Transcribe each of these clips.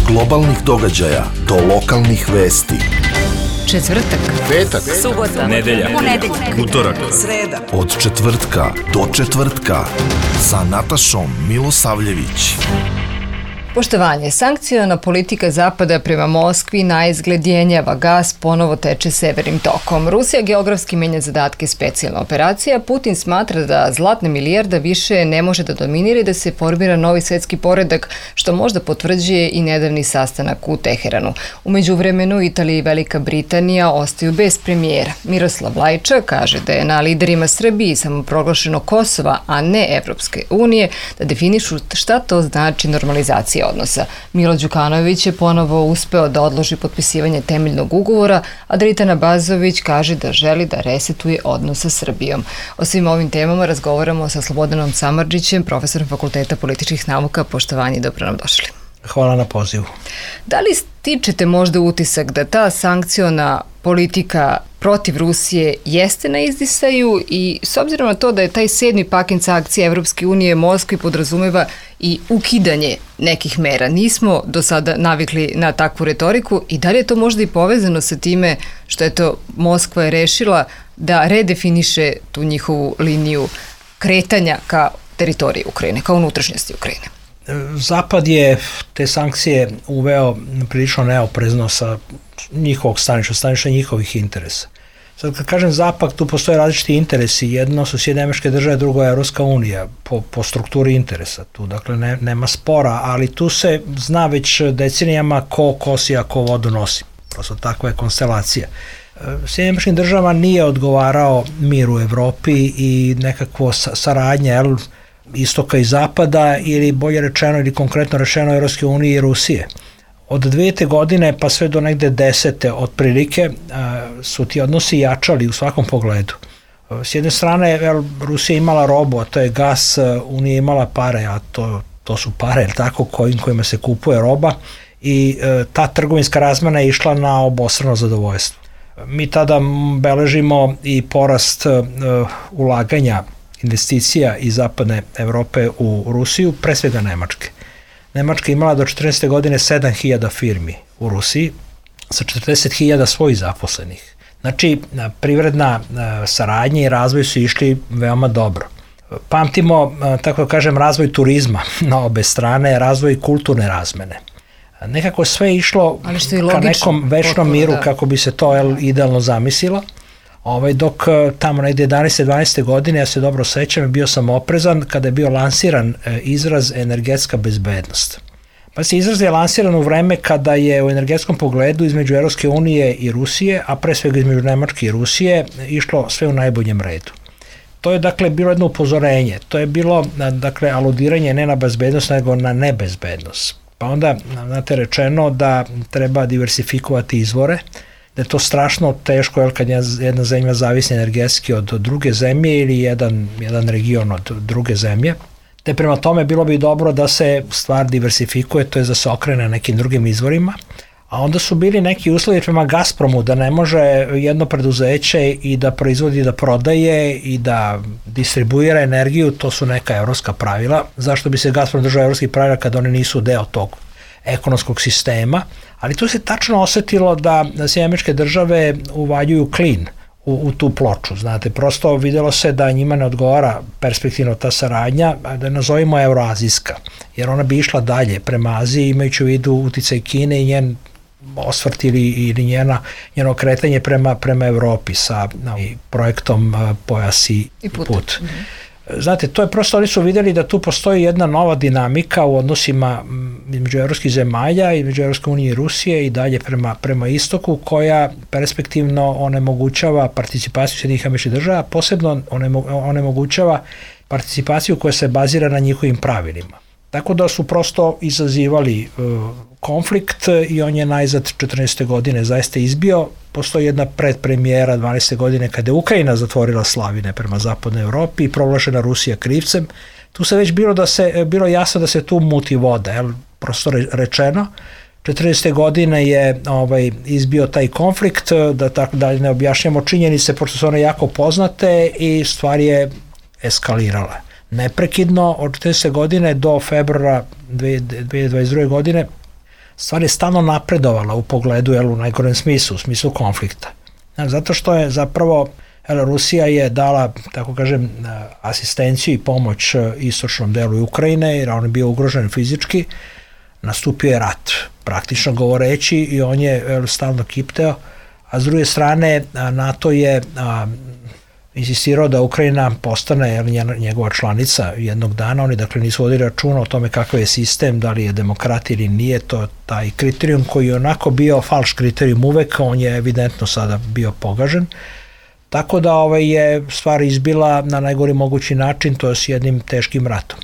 globalnih događaja do lokalnih vesti. Četvrtak, Petak, subota, nedelja, utorak, sreda. od četvrtka do četvrtka sa Natašom Milosavljević. Poštovanje, sankciona politika Zapada prema Moskvi naizgled jenjava, gas ponovo teče severnim tokom. Rusija geografski menja zadatke specijalna operacija, Putin smatra da zlatna milijarda više ne može da dominira i da se formira novi svetski poredak, što možda potvrđuje i nedavni sastanak u Teheranu. U međuvremenu Italija i Velika Britanija ostaju bez premijera. Miroslav Lajčak kaže da je na liderima Srbije samoproglašeno Kosova, a ne Evropske unije, da definišu šta to znači normalizacija odnosa. Milo Đukanović je ponovo uspeo da odloži potpisivanje temeljnog ugovora, a Dritana Bazović kaže da želi da resetuje odnos sa Srbijom. O svim ovim temama razgovaramo sa Slobodanom Samardžićem, profesorom Fakulteta političkih nauka. Poštovanje i dobro nam došli. Hvala na pozivu. Da li stičete možda utisak da ta sankciona politika protiv Rusije jeste na izdisaju i s obzirom na to da je taj 7. paket sankcija Evropske unije Moskvi podrazumeva i ukidanje nekih mera. Nismo do sada navikli na takvu retoriku i da li je to možda i povezano sa time što je to Moskva je rešila da redefiniše tu njihovu liniju kretanja ka teritoriji Ukrajine, ka unutrašnjosti Ukrajine? Zapad je te sankcije uveo prilično neoprezno sa njihovog staništa njihovih interesa. Sad kad kažem Zapad, tu postoje različiti interesi. Jedno su Sjedinjene Američke Države, drugo je Evropska unija po strukturi interesa. Tu dakle nema spora, ali tu se zna već decenijama ko kosi, a ko vodu nosi. Prosto takva je konstelacija. Sjedinjenim Američkim Državama nije odgovarao mir u Evropi i nekakvo saradnje istoka i zapada ili bolje rečeno ili konkretno rečeno Evropske unije i Rusije. Od 2000. godine pa sve do negde 10. otprilike su ti odnosi jačali u svakom pogledu. S jedne strane Rusija imala robu, a to je gas, Unija imala pare, a to su pare, tako, kojima se kupuje roba i ta trgovinska razmena je išla na obostrano zadovoljstvo. Mi tada beležimo i porast ulaganja investicija iz zapadne Evrope u Rusiju, pre svega Nemačke. Nemačka imala do 14. godine 7.000 firmi u Rusiji sa 40.000 svojih zaposlenih. Znači, privredna saradnja i razvoj su išli veoma dobro. Pamtimo, tako da kažem, razvoj turizma na obe strane, razvoj kulturne razmene. Nekako sve išlo ka nekom večnom miru, kako bi se to idealno zamislilo. Dok tamo negde 11. 12. godine, ja se dobro sećam, bio sam oprezan kada je bio lansiran izraz energetska bezbednost. Pa se izraz je lansiran u vreme kada je u energetskom pogledu između Evropske unije i Rusije, a pre svega između Nemačke i Rusije, išlo sve u najboljem redu. To je dakle bilo jedno upozorenje, to je bilo dakle aludiranje ne na bezbednost nego na nebezbednost. Pa onda znate rečeno da treba diversifikovati izvore, da je to strašno teško kad jedna zemlja zavisi energetski od druge zemlje ili jedan region od druge zemlje. Te prema tome bilo bi dobro da se stvar diversifikuje, to je da se okrene nekim drugim izvorima. A onda su bili neki uslovi prema Gazpromu da ne može jedno preduzeće i da proizvodi, da prodaje i da distribuira energiju, to su neka evropska pravila. Zašto bi se Gazprom držao evropskih pravila kada oni nisu deo tog ekonomskog sistema, ali tu se tačno osetilo da Sjedinjene Američke Države uvaljuju klin u tu ploču. Znate, prosto videlo se da njima ne odgovara perspektivno ta saradnja, da je nazovimo euroazijska, jer ona bi išla dalje prema Aziji, imajući u vidu uticaj Kine i njen osvrt ili njeno kretanje prema Evropi sa projektom Pojas i put. Znate, to je prosto, oni su vidjeli da tu postoji jedna nova dinamika u odnosima između evropskih zemalja, između Evropske unije i Rusije i dalje prema istoku, koja perspektivno onemogućava participaciju Sjedinjenih Američkih Država, posebno onemogućava participaciju koja se bazira na njihovim pravilima. Tako da su prosto izazivali konflikt i on je najzad 14. godine zaista izbio. Postoji jedna predpremijera 12. godine kada je Ukrajina zatvorila slavine prema zapadnoj Evropi i proglašena Rusija krivcem. Tu se već bilo jasno da se tu muti voda, prosto rečeno. 14. godine je izbio taj konflikt, da ne objašnjamo činjenice, pošto su one jako poznate i stvar je eskalirala. Neprekidno od 14. godine do februara 2022. godine stvar je stalno napredovala u pogledu, u najgorem smislu, u smislu konflikta. Zato što je zapravo Rusija je dala, tako kažem, asistenciju i pomoć istočnom delu Ukrajine, jer on je bio ugrožen fizički, nastupio je rat, praktično govoreći, i on je stalno kipteo, a s druge strane NATO je insistirao da Ukrajina postane njegova članica jednog dana. Oni dakle nisu vodili računa o tome kakav je sistem, da li je demokrat ili nije, to taj kriterijum koji je onako bio falš kriterijum uvek, on je evidentno sada bio pogažen. Tako da je stvar izbila na najgori mogući način, to je s jednim teškim ratom.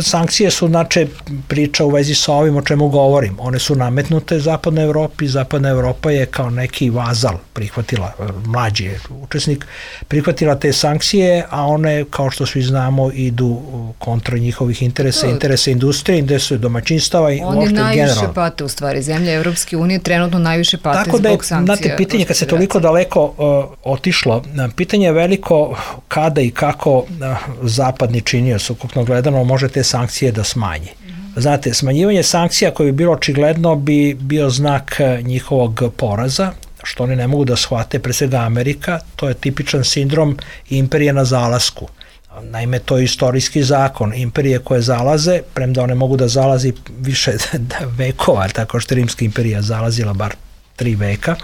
Sankcije su znači priča u vezi sa ovim o čemu govorim. One su nametnute Zapadnoj Evropi. Zapadna Evropa je kao neki vazal prihvatila, mlađi je učesnik, prihvatila te sankcije, a one, kao što svi znamo, idu kontra njihovih interesa, interesa industrije, interesa domaćinstava i oni najviše pate, u stvari, zemlje Evropske unije trenutno najviše pate tako zbog sankcija. Znate, pitanje kad se toliko daleko otišlo, pitanje je veliko kada i kako zapadni činioc, ukupno gledano, može te sankcije da smanji. Znate, smanjivanje sankcija koje bi bilo očigledno bi bio znak njihovog poraza, što oni ne mogu da shvate, pre svega Amerika, to je tipičan sindrom imperije na zalasku. Naime, to je istorijski zakon. Imperije koje zalaze, premda one mogu da zalazi više vekova, tako što je Rimska imperija zalazila bar 3 veka,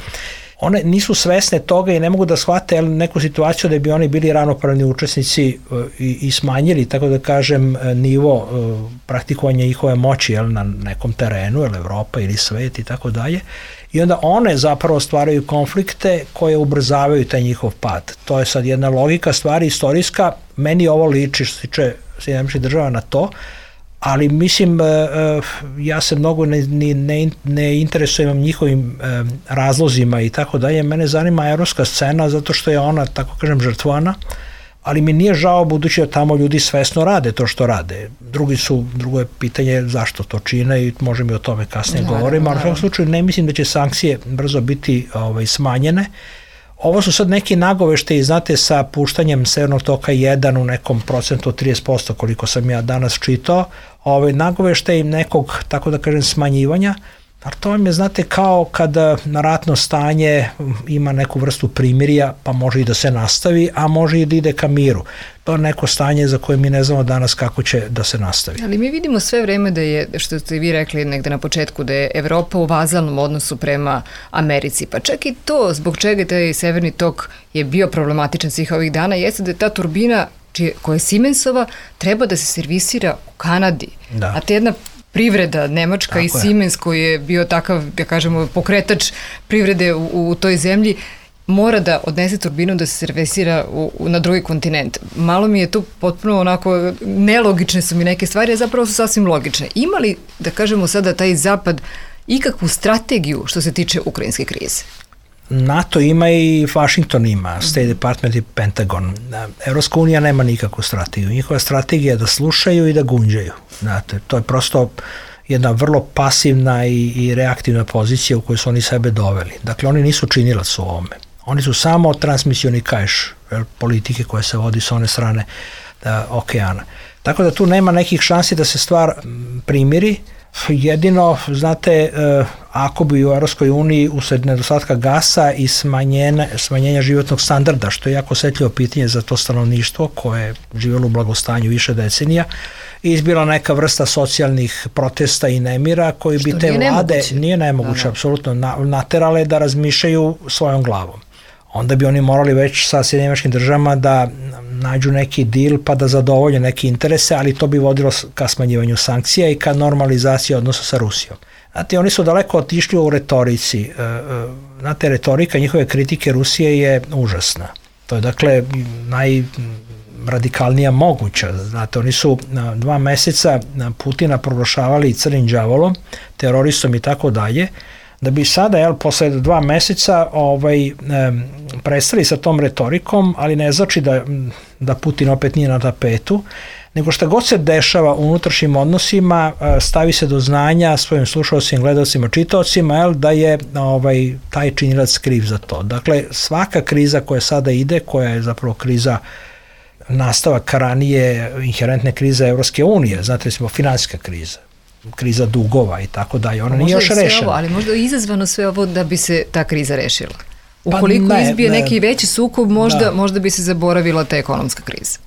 one nisu svesne toga i ne mogu da shvate neku situaciju da bi oni bili ravnopravni učesnici i smanjili, tako da kažem, nivo praktikovanja njihove moći na nekom terenu, Evropa ili svet i tako dalje. I onda one zapravo stvaraju konflikte koje ubrzavaju taj njihov pad. To je sad jedna logika stvari istorijska. Meni ovo liči, što se tiče Sjedinjenih Država, na to, ali mislim, ja se mnogo ne interesujem njihovim razlozima i tako dalje. Mene zanima evropska scena zato što je ona, tako kažem, žrtvana, ali mi nije žao budući da tamo ljudi svesno rade to što rade. Drugo je pitanje zašto to čine i možemo i o tome kasnije govorimo, ali u svakom slučaju ne mislim da će sankcije brzo biti smanjene. Ovo su sad neki nagoveštaji, znate, sa puštanjem Severnog toka 1 u nekom procentu od 30%, koliko sam ja danas čitao, nagoveštaj nekog, tako da kažem, smanjivanja, ali to vam je, znate, kao kada na ratno stanje ima neku vrstu primirja, pa može i da se nastavi, a može i da ide ka miru. To je neko stanje za koje mi ne znamo danas kako će da se nastavi. Ali mi vidimo sve vreme da je, što ste vi rekli negde na početku, da je Evropa u vazalnom odnosu prema Americi. Pa čak i to, zbog čega taj Severni tok je bio problematičan svih ovih dana, jeste da je ta turbina koja je Siemensova treba da se servisira u Kanadi. Da. A te jedna privreda nemačka i Siemens koji je bio takav, da kažemo, pokretač privrede u toj zemlji, mora da odnese turbinu da se servisira na drugi kontinent. Malo mi je tu potpuno onako, nelogične su mi neke stvari, a zapravo su sasvim logične. Ima li, da kažemo sada, taj zapad ikakvu strategiju što se tiče ukrajinske krize? NATO ima i Washington ima, State Department i Pentagon. Evropska unija nema nikakvu strategiju. Njihova strategija je da slušaju i da gunđaju. Znate, to je prosto jedna vrlo pasivna i reaktivna pozicija u kojoj su oni sebe doveli. Dakle, oni nisu činilac u ovome. Oni su samo transmisioni kaiš politike koje se vodi sa one strane okeana. Tako da tu nema nekih šansi da se stvar primiri. Jedino, znate, ako bi u Evropskoj uniji usled nedostatka gasa i smanjenja životnog standarda, što je jako osetljivo pitanje za to stanovništvo koje je živjelo u blagostanju više decenija, izbila neka vrsta socijalnih protesta i nemira koji bi te vlade, nije nemoguće, apsolutno, naterale da razmišljaju svojom glavom. Onda bi oni morali već sa Sjedinjenim Državama da nađu neki deal pa da zadovolje neke interese, ali to bi vodilo ka smanjivanju sankcija i ka normalizaciji odnosa sa Rusijom. Znate, oni su daleko otišli u retorici. Znate, retorika njihove kritike Rusije je užasna. To je, dakle, najradikalnija moguća. Znate, oni su 2 meseca Putina proglašavali crnim đavolom, teroristom i tako dalje, da bi sada, posle 2 meseca prestali sa tom retorikom, ali ne znači da Putin opet nije na tapetu, nego šta god se dešava u unutrašnjim odnosima, stavi se do znanja svojim slušalcima, gledalcima, čitaocima, da je taj činilac kriv za to. Dakle, svaka kriza koja sada ide, koja je zapravo kriza nastavak ranije inherentne krize Evropske unije, znate, recimo finansijska kriza. kriza dugova i tako dalje. Ona nije još rešena. Ali možda je izazvano sve ovo da bi se ta kriza rešila. Ukoliko izbije neki veći sukob, možda bi se zaboravila ta ekonomska kriza.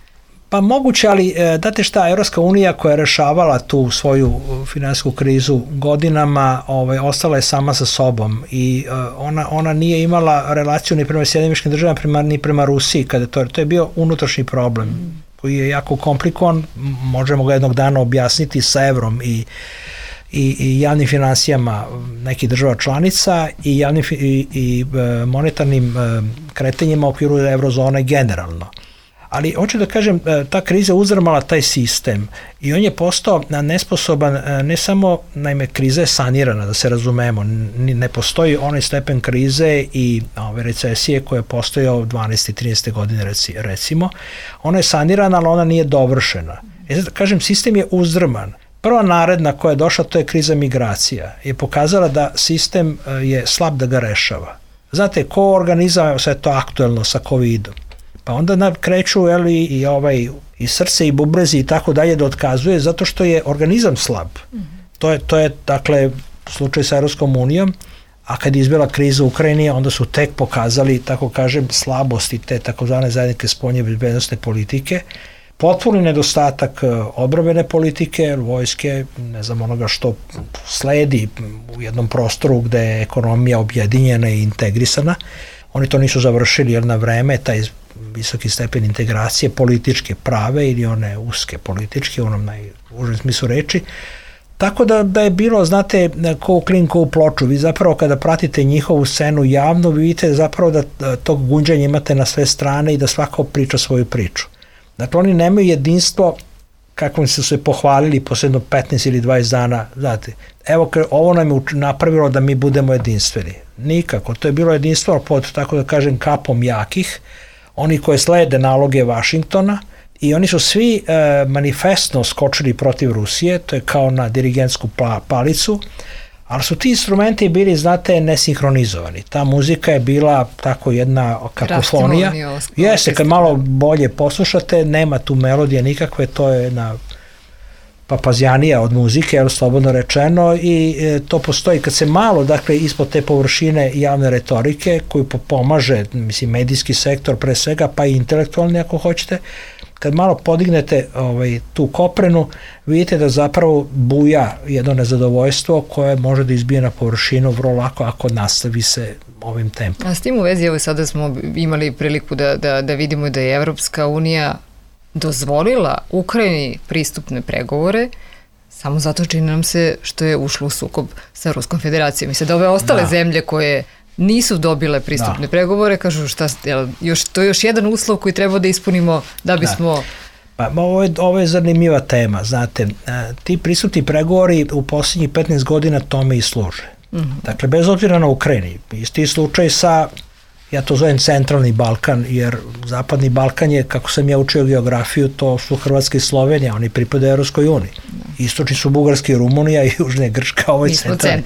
Pa moguće, ali date šta, Evropska unija koja je rešavala tu svoju finansijsku krizu godinama, ostala je sama sa sobom i ona nije imala relaciju ni prema Sjedinjenim Američkim Državama ni prema Rusiji, kada to je bio unutrašnji problem koji je jako komplikovan, možemo ga jednog dana objasniti sa evrom i javnim finansijama nekih država članica i monetarnim kretanjima u okviru eurozone generalno. Ali hoću da kažem, ta kriza uzrmala taj sistem i on je postao nesposoban, ne samo, naime, kriza je sanirana, da se razumemo, ne postoji onaj stepen krize i recesije koja je postojao 12. i 13. godine recimo, ona je sanirana, ali ona nije dovršena. Sad, kažem, sistem je uzdrman. Prva naredna koja je došla, to je kriza migracija, je pokazala da sistem je slab da ga rešava. Znate, ko organizam, sve to aktuelno sa COVID-om, pa onda kreću i srce i bubrezi i tako dalje da otkazuje zato što je organizam slab. To je dakle slučaj sa Evropskom unijom, a kad je izbila kriza u Ukrajini, onda su tek pokazali, tako kažem, slabosti te takozvane zajedničke spoljne bezbednosne politike, potpuni nedostatak odbrambene politike, vojske, ne znam, onoga što sledi u jednom prostoru gde je ekonomija objedinjena i integrisana. Oni to nisu završili jer na vreme taj visoki stepen integracije političke prave ili one uske političke u onom najužem smislu reči. Tako da je bilo, znate, ko u klin, ko u ploču. Vi zapravo kada pratite njihovu scenu javno, vi vidite zapravo da tog gunđanja imate na sve strane i da svako priča svoju priču. Dakle, oni nemaju jedinstvo kakvom su se pohvalili posledno 15 ili 20 dana. Znate, evo, ovo nam je napravilo da mi budemo jedinstveni. Nikako. To je bilo jedinstvo pod, tako da kažem, kapom jakih, oni koje slede naloge Vašingtona i oni su svi manifestno skočili protiv Rusije, to je kao na dirigentsku palicu, ali su ti instrumenti bili, znate, nesinhronizovani. Ta muzika je bila tako jedna kakofonija. Jeste, kad malo bolje poslušate, nema tu melodije nikakve, to je jedna papazjanija od muzike, slobodno rečeno, i to postoji kad se malo, dakle, ispod te površine javne retorike, koju pomaže, mislim, medijski sektor pre svega, pa i intelektualni ako hoćete, kad malo podignete tu koprenu, vidite da zapravo buja jedno nezadovoljstvo koje može da izbije na površinu vrlo lako ako nastavi se ovim tempom. A s tim u vezi, evo sada smo imali priliku da vidimo da je Evropska unija dozvolila Ukrajini pristupne pregovore samo zato čini nam se što je ušlo u sukob sa Ruskom federacijom. Mislim da ove ostale zemlje koje nisu dobile pristupne pregovore, kažu to je još jedan uslov koji treba da ispunimo da bismo... Pa, ovo je zanimljiva tema, znate, ti pristupni pregovori u posljednjih 15 godina tome i služe. Dakle, bez obzira na Ukrajini, isti slučaj sa, ja to zovem centralni Balkan, jer zapadni Balkan je, kako sam ja učio geografiju, to su Hrvatska i Slovenija, oni pripadaju Evropskoj uniji. Istočni su Bugarska i Rumunija i južna je Grčka, ovo je centralni.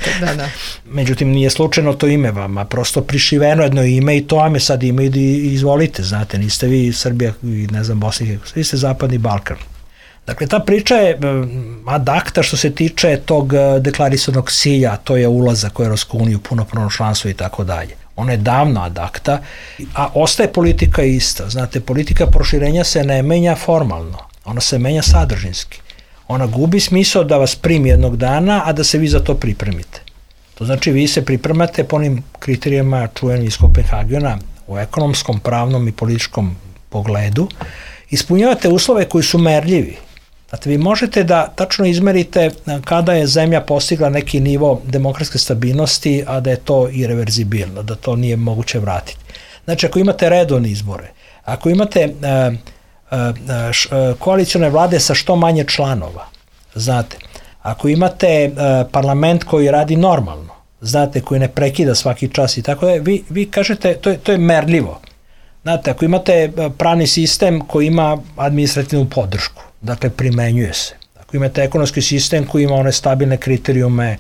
Međutim, nije slučajno to ime vama, prosto prišiveno jedno ime i to vam je sad ime i izvolite, znate, niste vi Srbija i ne znam Bosna i Hercegovina, vi ste zapadni Balkan. Dakle, ta priča je ad acta što se tiče tog deklarisanog cilja, to je ulazak u Evropsku uniju, punopravno članstvo i tako dalje. Ona je davno ad acta, a ostaje politika ista. Znate, politika proširenja se ne menja formalno, ona se menja sadržinski. Ona gubi smisao da vas primi jednog dana, a da se vi za to pripremite. To znači vi se pripremate po onim kriterijama čuvenim iz Kopenhagena u ekonomskom, pravnom i političkom pogledu, ispunjavate uslove koji su merljivi. Znate, vi možete da tačno izmerite kada je zemlja postigla neki nivo demokratske stabilnosti, a da je to irreverzibilno, da to nije moguće vratiti. Znači, ako imate redovne izbore, ako imate koalicione vlade sa što manje članova, znate, ako imate parlament koji radi normalno, znate, koji ne prekida svaki čas i tako da, vi kažete, to je merljivo. Znate, ako imate pravni sistem koji ima administrativnu podršku, dakle, primenjuje se. Ako imate ekonomski sistem koji ima one stabilne kriterijume,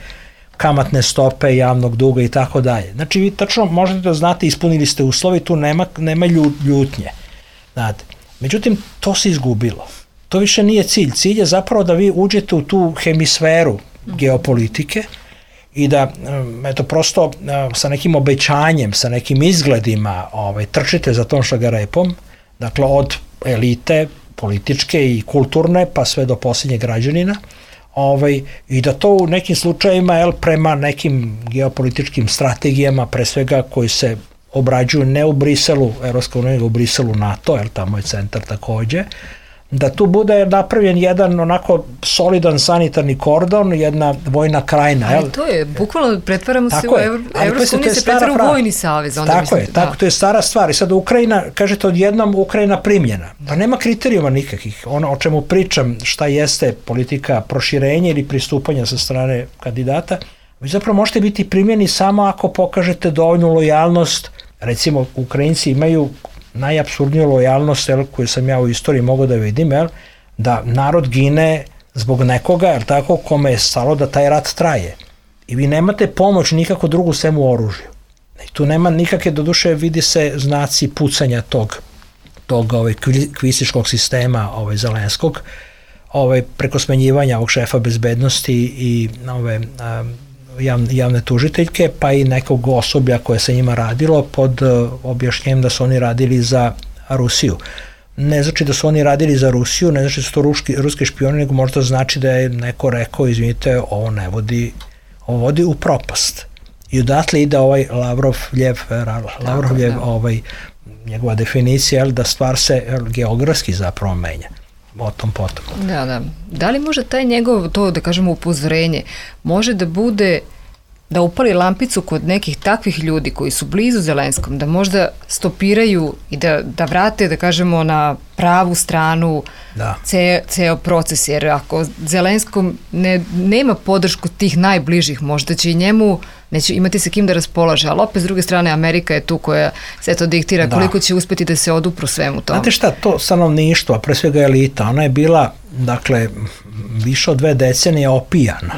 kamatne stope, javnog duga i tako dalje. Znači, vi tačno možete da znate, ispunili ste uslovi, tu nema ljutnje. Znate, međutim, to se izgubilo. To više nije cilj. Cilj je zapravo da vi uđete u tu hemisferu geopolitike i da eto prosto sa nekim obećanjem, sa nekim izgledima trčite za tom šagarepom, dakle od elite političke i kulturne pa sve do posljednjeg građanina, i da to u nekim slučajima prema nekim geopolitičkim strategijama, pre svega koji se obrađuju ne u Briselu, Evropska unija, nego u Briselu NATO, tamo je centar takođe, da tu bude napravljen jedan onako solidan sanitarni kordon, jedna vojna krajina. Ali to je, bukvalno pretvaramo se u Evropsku uniju, se pretvara u vojni savez. Tako, to je stara stvar. I sad Ukrajina, kažete odjednom Ukrajina primljena. Pa nema kriterijuma nikakvih. Ono o čemu pričam, šta jeste politika proširenja ili pristupanja sa strane kandidata, vi zapravo možete biti primljeni samo ako pokažete dovoljnu lojalnost. Recimo, Ukrajinci imaju najapsurdniju lojalnost koju sam ja u istoriji mogao da vidim, da narod gine zbog nekoga, kome je stalo da taj rat traje. I vi nemate pomoć nikako drugu sem u oružju. I tu nema nikakve, doduše vidi se znaci pucanja tog kvistiškog sistema Zelenskog, preko smenjivanja ovog šefa bezbednosti i javne tužiteljke, pa i nekog osoblja koje se njima radilo pod objašnjenjem da su oni radili za Rusiju. Ne znači da su oni radili za Rusiju, ne znači da su to ruski špioni, nego možda znači da je neko rekao, izvinite, ovo ne vodi, ovo vodi u propast. I odatle ide Lavrovljev, njegova definicija, da stvar se geografski zapravo menja. O tom potom. Da. Da li može taj njegov, to da kažemo upozorenje, može da bude da upali lampicu kod nekih takvih ljudi koji su blizu Zelenskom, da možda stopiraju i da vrate, da kažemo, na pravu stranu ceo proces, jer ako Zelenskom nema podršku tih najbližih, možda će i njemu neće imati se kim da raspolaže, ali opet s druge strane Amerika je tu koja sve to diktira, koliko će uspeti da se odupru svemu tome. Znate šta, to stanovništvo, a pre svega elita, ona je bila, dakle, više od 2 decenije opijana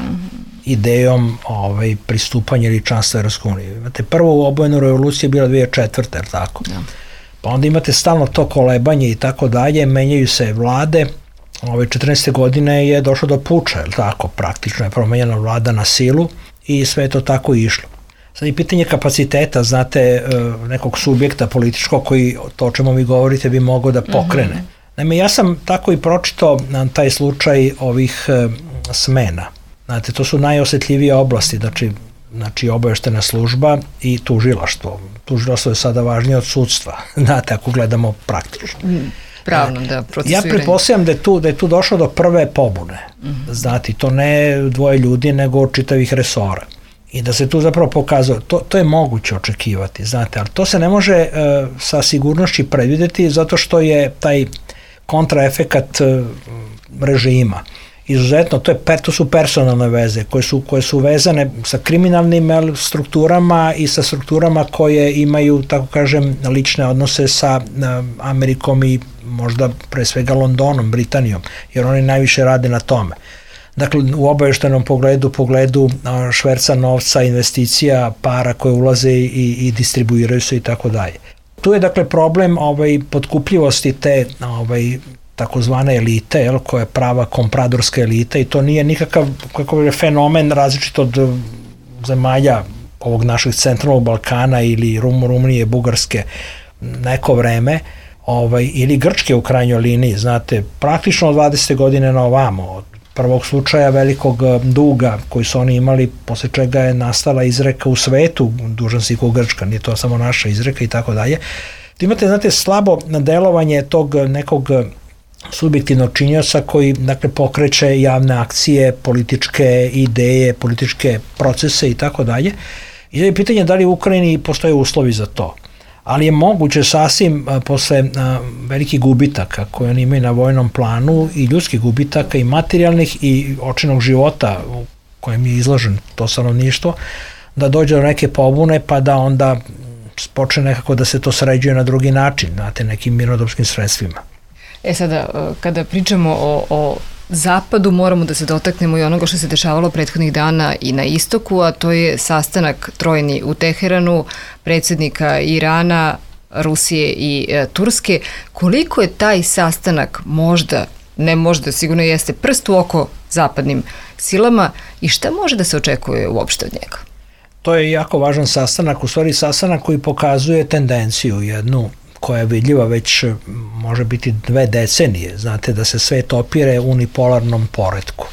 idejom pristupanja ili članstva Evropskoj uniji. Imate prvu obojenu revoluciju je bila 2004. je li tako? Ja. Pa onda imate stalno to kolebanje i tako dalje, menjaju se vlade. 14. godine je došlo do puča, je li tako? Praktično je promenjena vlada na silu i sve je to tako išlo. Sad i pitanje kapaciteta, znate, nekog subjekta političkog koji, to o čemu vi govorite, bi mogao da pokrene. Naime, ja sam tako i pročitao taj slučaj ovih smena. Znate, to su najosetljivije oblasti, znači obaveštena služba i tužilaštvo. Tužilaštvo je sada važnije od sudstva, znate, ako gledamo praktično. Pravno, da, procesuiranje. Ja pretpostavljam da je tu došlo do prve pobune. Znate, to ne 2 ljudi, nego čitavih resora. I da se tu zapravo pokazuje, to je moguće očekivati, znate, ali to se ne može sa sigurnošću predvideti zato što je taj kontraefekat režima. Izuzetno, to su personalne veze koje su vezane sa kriminalnim strukturama i sa strukturama koje imaju, tako kažem, lične odnose sa Amerikom i možda pre svega Londonom, Britanijom, jer oni najviše rade na tome. Dakle, u obaveštenom pogledu šverca novca, investicija, para koje ulaze i distribuiraju se i tako dalje. Tu je, dakle, problem potkupljivosti te takozvane elite, koja je prava kompradorska elita i to nije nikakav fenomen različit od zemalja ovog našeg centralnog Balkana ili Rumunije, Bugarske neko vreme, ili Grčke u krajnjoj liniji, znate, praktično od 20. godine na ovamo, od prvog slučaja velikog duga koji su oni imali, posle čega je nastala izreka u svetu, dužan si ko Grčka, nije to samo naša izreka i tako dalje. Imate, znate, slabo delovanje tog nekog subjektivnog činioca koji, dakle, pokreće javne akcije, političke ideje, političke procese i tako dalje. I je pitanje da li u Ukrajini postoje uslovi za to. Ali je moguće sasvim posle velikih gubitaka koje oni imaju na vojnom planu i ljudskih gubitaka i materijalnih i očinog života u kojem je izložen to stanovništvo, da dođe do neke pobune pa da onda počne nekako da se to sređuje na drugi način, znate, nekim mirnodopskim sredstvima. Sada, kada pričamo o Zapadu, moramo da se dotaknemo i onoga što se dešavalo prethodnih dana i na istoku, a to je sastanak trojni u Teheranu, predsjednika Irana, Rusije i Turske. Koliko je taj sastanak sigurno jeste prst u oko zapadnim silama i šta može da se očekuje uopšte od njega? To je jako važan sastanak, u stvari sastanak koji pokazuje tendenciju jednu koja je vidljiva već može biti 2 decenije, znate da se svet opire unipolarnom poretku.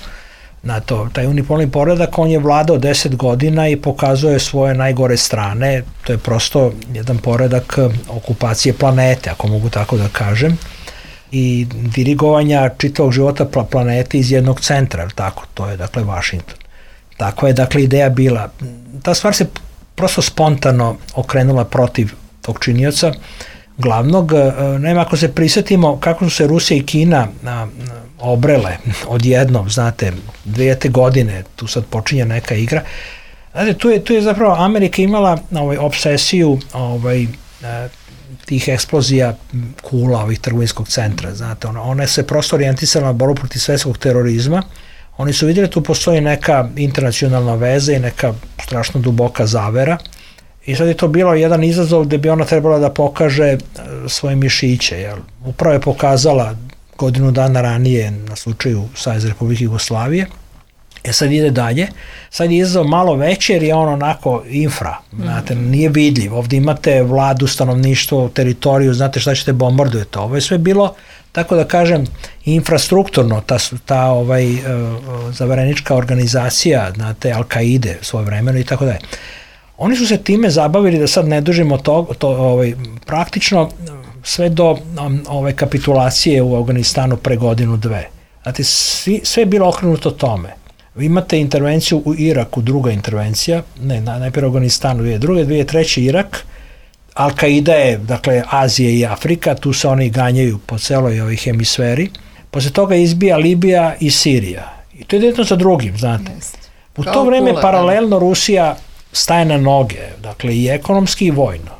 Taj unipolarni poredak, on je vladao 10 godina i pokazuje svoje najgore strane, to je prosto jedan poredak okupacije planete, ako mogu tako da kažem, i dirigovanja čitavog života planete iz jednog centra, tako, to je dakle Vašington. Tako je dakle ideja bila. Ta stvar se prosto spontano okrenula protiv tog činioca glavnog. Naime, ako se prisjetimo kako su se Rusija i Kina obrele odjednom, znate, 2000. godine, tu sad počinje neka igra. Znate, tu je zapravo Amerika imala obsesiju tih eksplozija kula, ovih trgovinskog centra, znate, one se prosto orijentisala na borbu protiv svetskog terorizma. Oni su vidjeli tu postoji neka internacionalna veza i neka strašno duboka zavera i sad je to bilo jedan izazov gde bi ona trebala da pokaže svoje mišiće. Jel? Upravo je pokazala godinu dana ranije na slučaju Savezne Republike Jugoslavije. Sad ide dalje. Sad je izazov malo veći jer je on onako infra. Znate, nije vidljiv. Ovdje imate vladu, stanovništvo, teritoriju, znate šta ćete bombardujete. Ovo je sve bilo, tako da kažem, infrastrukturno, ta zavarenička organizacija, znate, Al-Kaide svoje vremeno i tako dalje. Oni su se time zabavili, da sad ne dužimo praktično sve do kapitulacije u Afganistanu pre godinu, 2. Znate, sve je bilo okrenuto tome. Vi imate intervenciju u Iraku, druga intervencija, najprije u Afganistanu, 2002, 2003 Irak, Al-Kaida je, dakle, Azija i Afrika, tu se oni ganjaju po celoj ovoj hemisferi. Posle toga izbija Libija i Sirija. I to je jedno sa drugim, znate. U to vreme paralelno Rusija staje na noge, dakle, i ekonomski i vojno.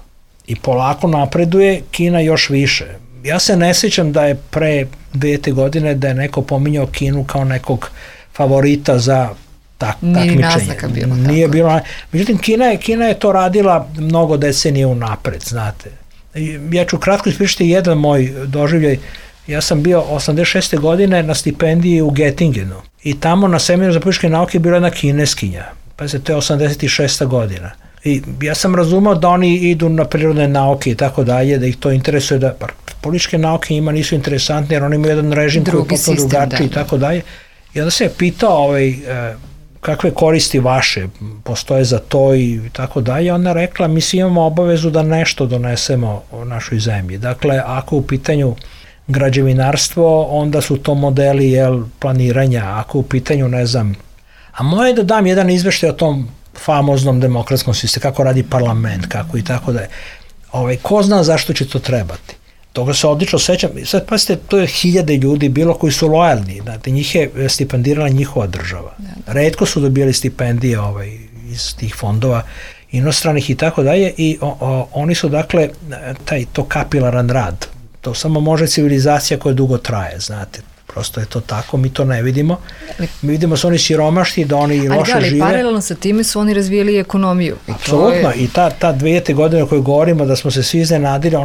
I polako napreduje, Kina još više. Ja se ne sjećam da je pre 2000. godine da je neko pominjao Kinu kao nekog favorita za takmičenje. Nije bilo. Međutim, Kina je to radila mnogo decenije unapred, znate. Ja ću kratko ispričati jedan moj doživljaj. Ja sam bio 86. godine na stipendiji u Göttingenu i tamo na seminaru za političke nauke je bila jedna Kineskinja. Pa se to je 86. godina. I ja sam razumao da oni idu na prirodne nauke i tako dalje, da ih to interesuje, da političke nauke njima nisu interesantne jer oni imaju jedan režim koji je potpuno drugačiji i tako dalje. I onda se je pitao kakve koristi vaše postoje za to i tako dalje. Ona rekla, mi svi imamo obavezu da nešto donesemo u našoj zemlji. Dakle, ako u pitanju građevinarstvo, onda su to modeli planiranja, ako u pitanju, ne znam, a moje da dam jedan izveštaj o tom famoznom demokratskom sistemu, kako radi parlament, kako i tako da je. Ko zna zašto će to trebati? Toga se odlično sećam. Sad, pasite, to je 1000 ljudi bilo koji su lojalni. Znate, njih je stipendirala njihova država. Retko su dobili stipendije iz tih fondova inostranih i tako dalje i oni su, dakle, to kapilaran rad. To samo može civilizacija koja dugo traje, znate. Prosto je to tako, mi to ne vidimo. Mi vidimo su oni siromašni, da oni loše žive. Ali paralelno sa time su oni razvijeli ekonomiju. Apsolutno, i ta 2000. godine o kojoj govorimo da smo se svi iznenadili,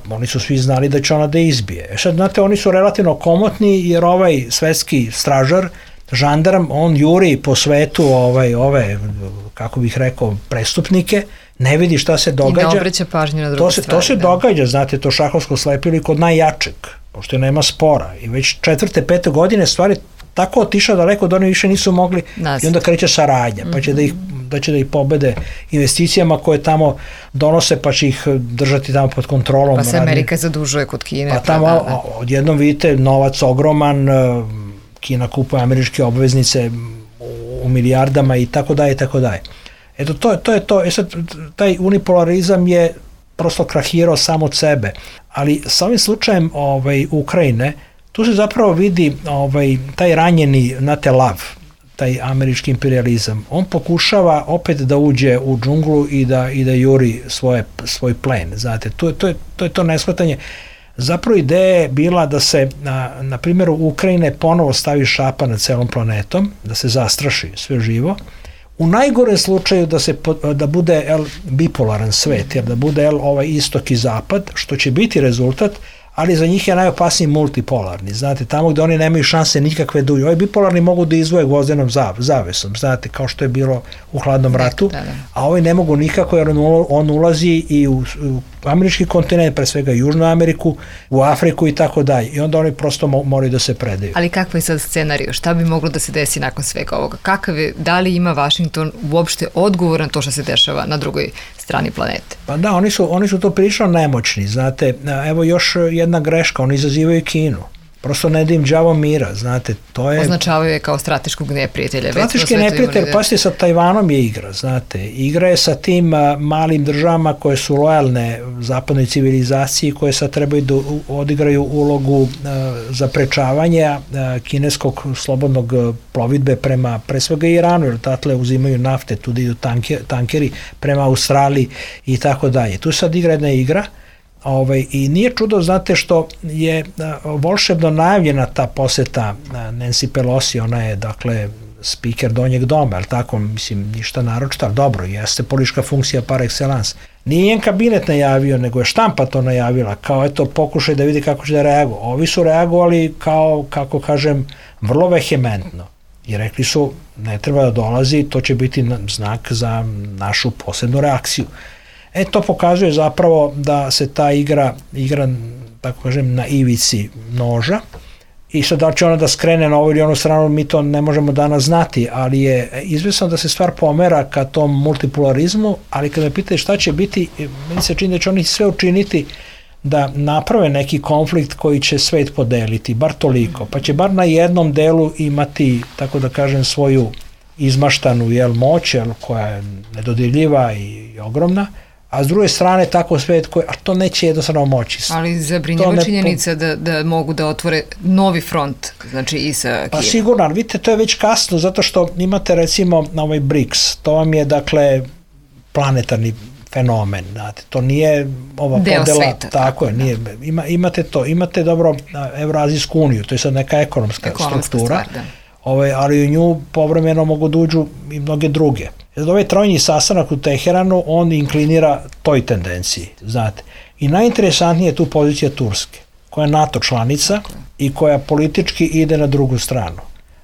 oni su svi znali da će ona da izbije. Sad, znate, oni su relativno komotni jer ovaj svetski stražar, žandarm, on juri po svetu ove, kako bih rekao, prestupnike, ne vidi šta se događa. I ne obraća pažnju na druge stvari. To se događa, znate, to šahovsko slepilo kod najjačeg, pošto nema spora. I već 4. 5. godine stvari tako otišao daleko da oni više nisu mogli i onda kreće saradnja, pa će da ih pobede investicijama koje tamo donose, pa će ih držati tamo pod kontrolom. Pa se Amerika zadužuje kod Kine. Pa tamo odjednom vidite novac ogroman, Kina kupuje američke obveznice u milijardama i tako dalje i tako dalje. Eto, to je to. Sad, taj unipolarizam je prosto krahirao sam od sebe. Ali sa ovim slučajem Ukrajine, tu se zapravo vidi taj ranjeni lav, taj američki imperializam. On pokušava opet da uđe u džunglu i da juri svoj plen. Znate, to je to neshvatanje. Zapravo ideja je bila da se na primjeru Ukrajine ponovo stavi šapa nad celom planetom, da se zastraši sve živo. U najgorem slučaju da bude bipolaran svet, jer da bude istok i zapad, što će biti rezultat ali za njih je najopasniji multipolarni, znate, tamo gde oni nemaju šanse nikakve dulje. Ovi bipolarni mogu da izvoje gvozdenom zavesom, znate, kao što je bilo u hladnom ratu, a ovi ne mogu nikako jer on ulazi i u američki kontinent, pre svega Južnu Ameriku, u Afriku i tako dalje. I onda oni prosto moraju da se predaju. Ali kakva je sad scenariju? Šta bi moglo da se desi nakon svega ovoga? Da li ima Vašington uopšte odgovor na to što se dešava na drugoj strani planete? Pa da, oni su to prilično nemoćni, znate, evo još jedna greška, oni izazivaju Kinu. Prosto ne da im đavo mira, znate, to je... Označavaju je kao strateškog neprijatelja. Strateški neprijatelj, pa sa Tajvanom je igra, znate. Igra je sa tim malim državama koje su lojalne zapadnoj civilizaciji, koje sad trebaju da odigraju ulogu zaprečavanja kineskog slobodnog plovidbe prema, pre svega Iranu, jer tatle uzimaju nafte, tu idu tankeri prema Australiji i tako dalje. Tu sad igra jedna igra, i nije čudo, znate, što je volšebno najavljena ta poseta Nancy Pelosi, ona je, dakle, spiker donjeg doma, ali tako, mislim, ništa naročito, ali dobro, jeste politička funkcija par excellence. Nije njen kabinet najavio, nego je štampa to najavila, kao eto, pokušaj da vidi kako će da reaguju. Ovi su reagovali kao, kako kažem, vrlo vehementno. I rekli su, ne treba da dolazi, to će biti znak za našu posebnu reakciju. To pokazuje zapravo da se ta igra, tako kažem, na ivici noža i sad da će ona da skrene na ovu ili onu stranu, mi to ne možemo danas znati, ali je izvesno da se stvar pomera ka tom multipolarizmu, ali kada me pitate šta će biti, meni se čini da će oni sve učiniti da naprave neki konflikt koji će svet podeliti, bar toliko, pa će bar na jednom delu imati, tako da kažem, svoju izmaštanu moć, koja je nedodirljiva i ogromna, a s druge strane tako svet koji, a to neće jednostavno moći. Ali zabrinjava činjenica da mogu da otvore novi front, znači i sa Kijevom. Pa sigurno, ali vidite, to je već kasno, zato što imate recimo na ovaj BRICS, to vam je, dakle, planetarni fenomen, znate, to nije ova deo podela, sveta, tako je, nije, imate to, imate dobro Evrazijsku uniju, to je sad neka ekonomska struktura, stvar, ali u nju povremeno mogu da uđu i mnoge druge. Ovaj trojni sastanak u Teheranu, on inklinira toj tendenciji, znate. I najinteresantnije je tu pozicija Turske, koja je NATO članica i koja politički ide na drugu stranu.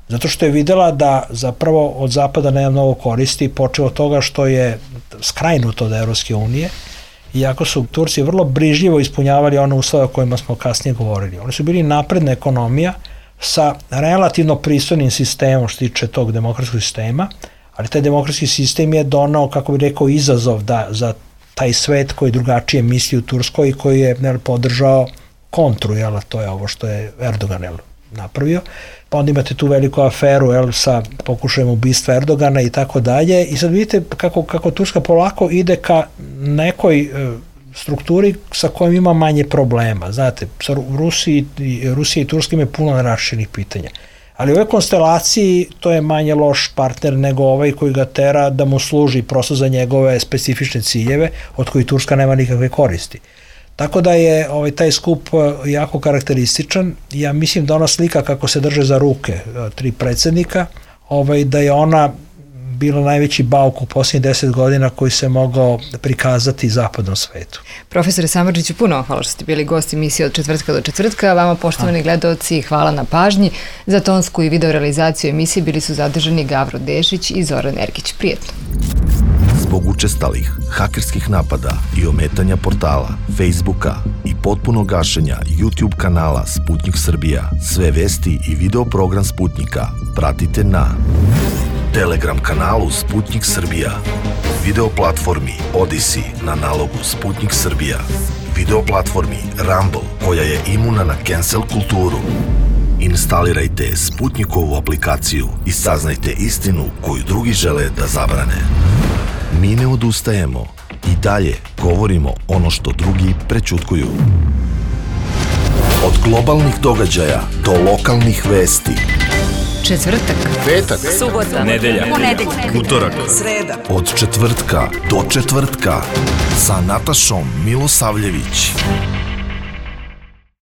Zato što je videla da zapravo od Zapada nema mnogo koristi, počeo od toga što je skrajnuto od Evropske unije, iako su Turci vrlo brižljivo ispunjavali one uslove o kojima smo kasnije govorili. Oni su bili napredna ekonomija sa relativno pristojnim sistemom što tiče tog demokratskog sistema, ali taj demokratski sistem je donao, kako bi rekao, izazov za taj svet koji drugačije misli u Turskoj i koji je podržao kontru, to je ovo što je Erdogan napravio. Pa onda imate tu veliku aferu sa pokušajem ubistva Erdogana i tako dalje. I sad vidite kako Turska polako ide ka nekoj strukturi sa kojom ima manje problema. Znate, Rusija i Turska imaju puno nerašenih pitanja. Ali u ovoj konstelaciji to je manje loš partner nego ovaj koji ga tera da mu služi prosto za njegove specifične ciljeve od kojih Turska nema nikakve koristi. Tako da je taj skup jako karakterističan. Ja mislim da ona slika kako se drže za ruke tri predsednika, da je ona bila najveći bauk u posljednjih 10 godina koji se mogao prikazati zapadnom svetu. Profesore Samardžiću, puno hvala što ste bili gosti emisije od četvrtka do četvrtka. Vama, poštovani gledaoci, hvala na pažnji. Za tonsku i video realizaciju emisije bili su zadržani Gavro Dešić i Zoran Ergić. Prijetno. Zbog učestalih hakerskih napada i ometanja portala, Facebooka i potpuno gašenja YouTube kanala Sputnik Srbija, sve vesti i video program Sputnika pratite na Telegram kanalu Sputnik Srbija, video platformi Odyssey na nalogu Sputnik Srbija, video platformi Rumble koja je imuna na cancel kulturu. Instalirajte Sputnikovu aplikaciju i saznajte istinu koju drugi žele da zabrane. Mi ne odustajemo i dalje govorimo ono što drugi prećutkuju. Od globalnih događaja do lokalnih vesti. Četvrtak, petak, subota, nedelja, utorak, sreda. Od četvrtka do četvrtka sa Natašom Milosavljević.